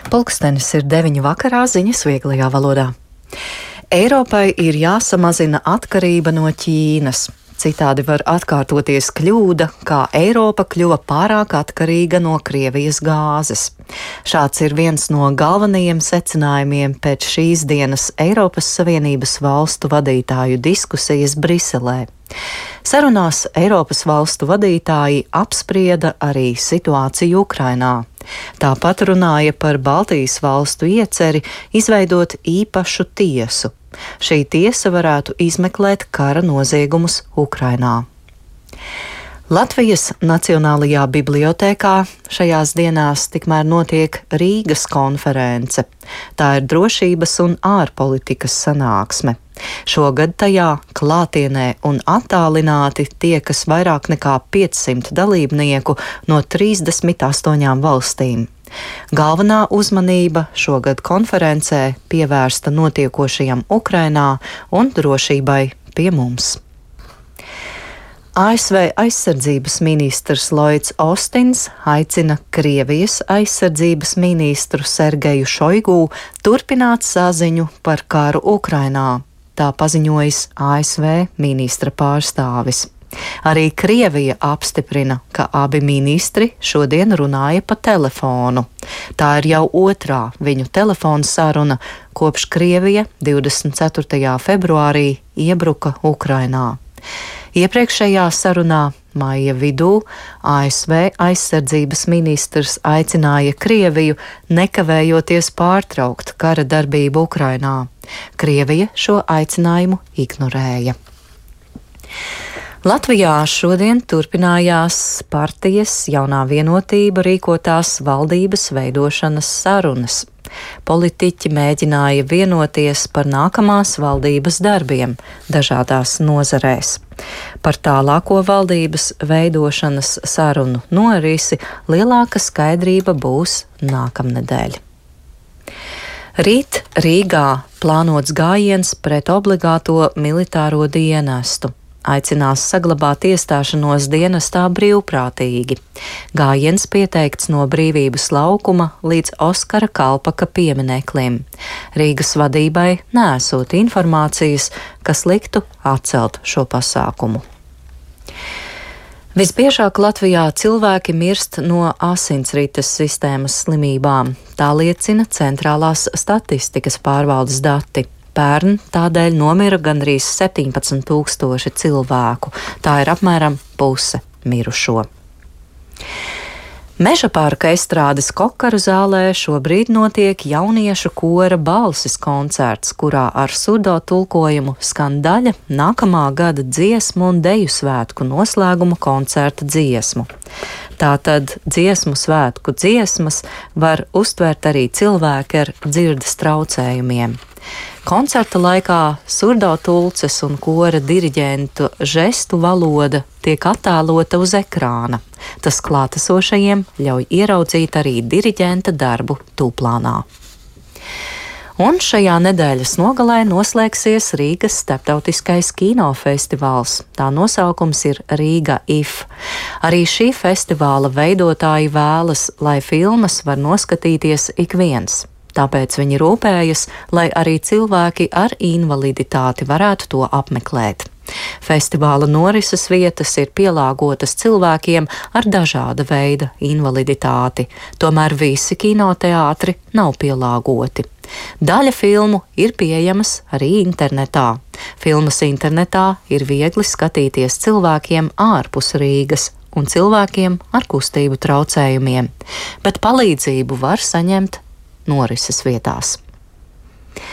Pulkstenis ir 9 vakarā, ziņas vieglajā valodā. Eiropai ir jāsamazina atkarība no Ķīnas. Citādi var atkārtoties kļūda, kā Eiropa kļuva pārāk atkarīga no Krievijas gāzes. Šāds ir viens no galvenajiem secinājumiem pēc šīs dienas Eiropas Savienības valstu vadītāju diskusijas Briselē. Sarunās Eiropas valstu vadītāji apsprieda arī situāciju Ukrainā. Tāpat runāja par Baltijas valstu ieceri izveidot īpašu tiesu. Šī tiesa varētu izmeklēt kara noziegumus Ukrainā. Latvijas Nacionālajā bibliotēkā šajās dienās tikmēr notiek Rīgas konference. Tā ir drošības un ārpolitikas sanāksme. Šogad tajā klātienē un attālināti tiekas vairāk nekā 500 dalībnieku no 38 valstīm. Galvenā uzmanība šogad konferencē pievērsta notiekošajam Ukrainā un drošībai pie mums. ASV aizsardzības ministrs Lloyds Ostins aicina Krievijas aizsardzības ministru Sergeju Šoigu turpināt saziņu par karu Ukrainā. Tā paziņojis ASV ministra pārstāvis. Arī Krievija apstiprina, ka abi ministri šodien runāja pa telefonu. Tā ir jau otrā viņu telefona saruna, kopš Krievija 24. februārī iebruka Ukrainā. Iepriekšējā sarunā maija vidū ASV aizsardzības ministrs aicināja Krieviju nekavējoties pārtraukt kara darbību Ukrainā. Krievija šo aicinājumu ignorēja. Latvijā šodien turpinājās partijas Jaunā vienotība rīkotās valdības veidošanas sarunas. Politiķi mēģināja vienoties par nākamās valdības darbiem dažādās nozarēs. Par tālāko valdības veidošanas sarunu norisi lielāka skaidrība būs nākamnedēļ. Rīt Rīgā plānots gājiens pret obligāto militāro dienestu. Aicinās saglabāt iestāšanos dienestā brīvprātīgi. Gājiens pieteikts no Brīvības laukuma līdz Oskara Kalpaka piemineklim. Rīgas vadībai neesot informācijas, kas liktu atcelt šo pasākumu. Visbiežāk Latvijā cilvēki mirst no asinsrites sistēmas slimībām. Tā liecina Centrālās statistikas pārvaldes dati. Pērn tādēļ nomira gandrīz 17,000 cilvēku. Tā ir apmēram puse mirušo. Meža parka estrādes Kokaru zālē šobrīd notiek jauniešu kora balsis koncerts, kurā ar surdo tulkojumu skan daļa nākamā gada dziesmu un deju svētku noslēguma koncerta dziesmu. Tātad dziesmu svētku dziesmas var uztvert arī cilvēki ar dzirdes traucējumiem. Koncerta laikā surdo tulces un kora diriģentu žestu valoda tiek attēlota uz ekrāna. Tas klātesošajiem ļauj ieraudzīt arī diriģenta darbu tūplānā. Un šajā nedēļas nogalē noslēgsies Rīgas starptautiskais kinofestivāls. Tā nosaukums ir Rīga IF. Arī šī festivāla veidotāji vēlas, lai filmas var noskatīties ik viens. Tāpēc viņi rūpējas, lai arī cilvēki ar invaliditāti varētu to apmeklēt. Festivāla norises vietas ir pielāgotas cilvēkiem ar dažāda veida invaliditāti, tomēr visi kinoteātri nav pielāgoti. Daļa filmu ir pieejamas arī internetā. Filmas internetā ir viegli skatīties cilvēkiem ārpus Rīgas un cilvēkiem ar kustību traucējumiem, bet palīdzību var saņemt norises vietās.